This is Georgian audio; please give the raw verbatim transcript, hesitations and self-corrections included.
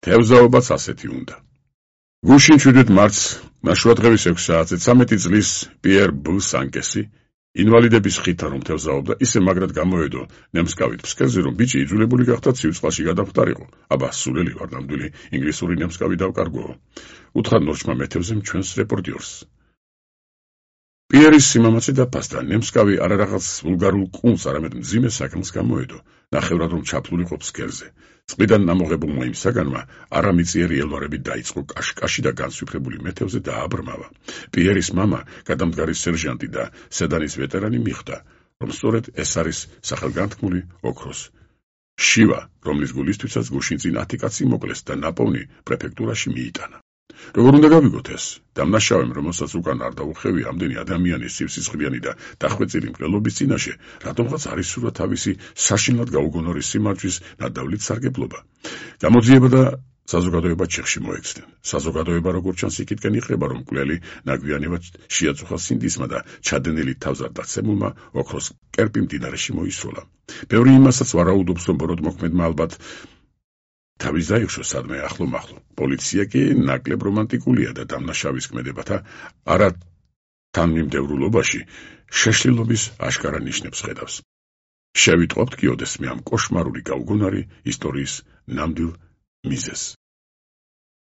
თევზაობაც ასეთი უნდა. გუშინ შვიდვით მარტს ნაშუადღების ექვსი საათზე ცამეტი წლის პიერ ბ სანკესი ინვალიდების ხითა რომ თევზაობდა, ისე მაგრად გამოედო ნემსკავით ფსკერზე, რომ ბიჭი იძულებული გახდა ცივ-წყალში გადამხდარიყო. აბა, სულელი ვარ, ნამდვილი ინგლისური ნემსკავი დავკარგოო. უთხრა ნორჩმა მეთევზემ ჩვენს რეპორტიორს. პიერის სიმამაცე დაფასდა, ნემსკავი არა რაღაც ვულგარულ კუნს, არამედ მძიმე საქმს გამოედო, ნახევრად რომ ჩაფლულიყო ფსკერზე. წყლიდან ამოღებულმა იმ საგანმა არამიწიერი ელვარები დაიწყო კაშკაში და განსვიფრებული მეთევზე დააბრმავა. პიერის მამა, გადამდგარი სერჟანტი და სედანის ვეტერანი მიხვდა, რომ სწორედ ეს არის სახელგანთქმული ოქროს შივა, რომლის გულისთვისაც გუშინ წინ ათი კაცი მოკლეს და ნაპოვნი პრეფექტურაში მიიტანა. როგორ უნდა გავიგოთ ეს? დამნაშავემ, რომელსაც უკან არ დაუხევი ამდენი ადამიანის სივსისხლიანი და დახვეწილი მკვლელობის წინაშე, რატომღაც არის სურა თავისი საშინლად გაუგონორი სიმართვის ნადავლით სარგებლობა. გამოძიება და საზოგადოება ჩიხში მოექცნენ. საზოგადოება როგორც ჩანს იქითკენ იხრება, რომ მკვლელი ნაგვიანებად შეაწუხა სინდისმა და ჩადენილი თავზარ დაცემულმა ოქროს კერპი მდინარეში მოისროლა. ბევრი იმასაც ვარაუდობს, რომ ბოროტმოქმედმა ალბათ თავის დაიხშო სადმე ახლო-მახლო. პოლიცია კი ნაკლებ რომანტიკულია და დამნაშავის ქმედებათა არა თანმიმდევრულობაში შეშლილობის აშკარა ნიშნებს ხედავს. შევიტყობთ კი ოდესმე ამ კოშმარული გაუგონარი ისტორიის ნამდვილ მიზეზს.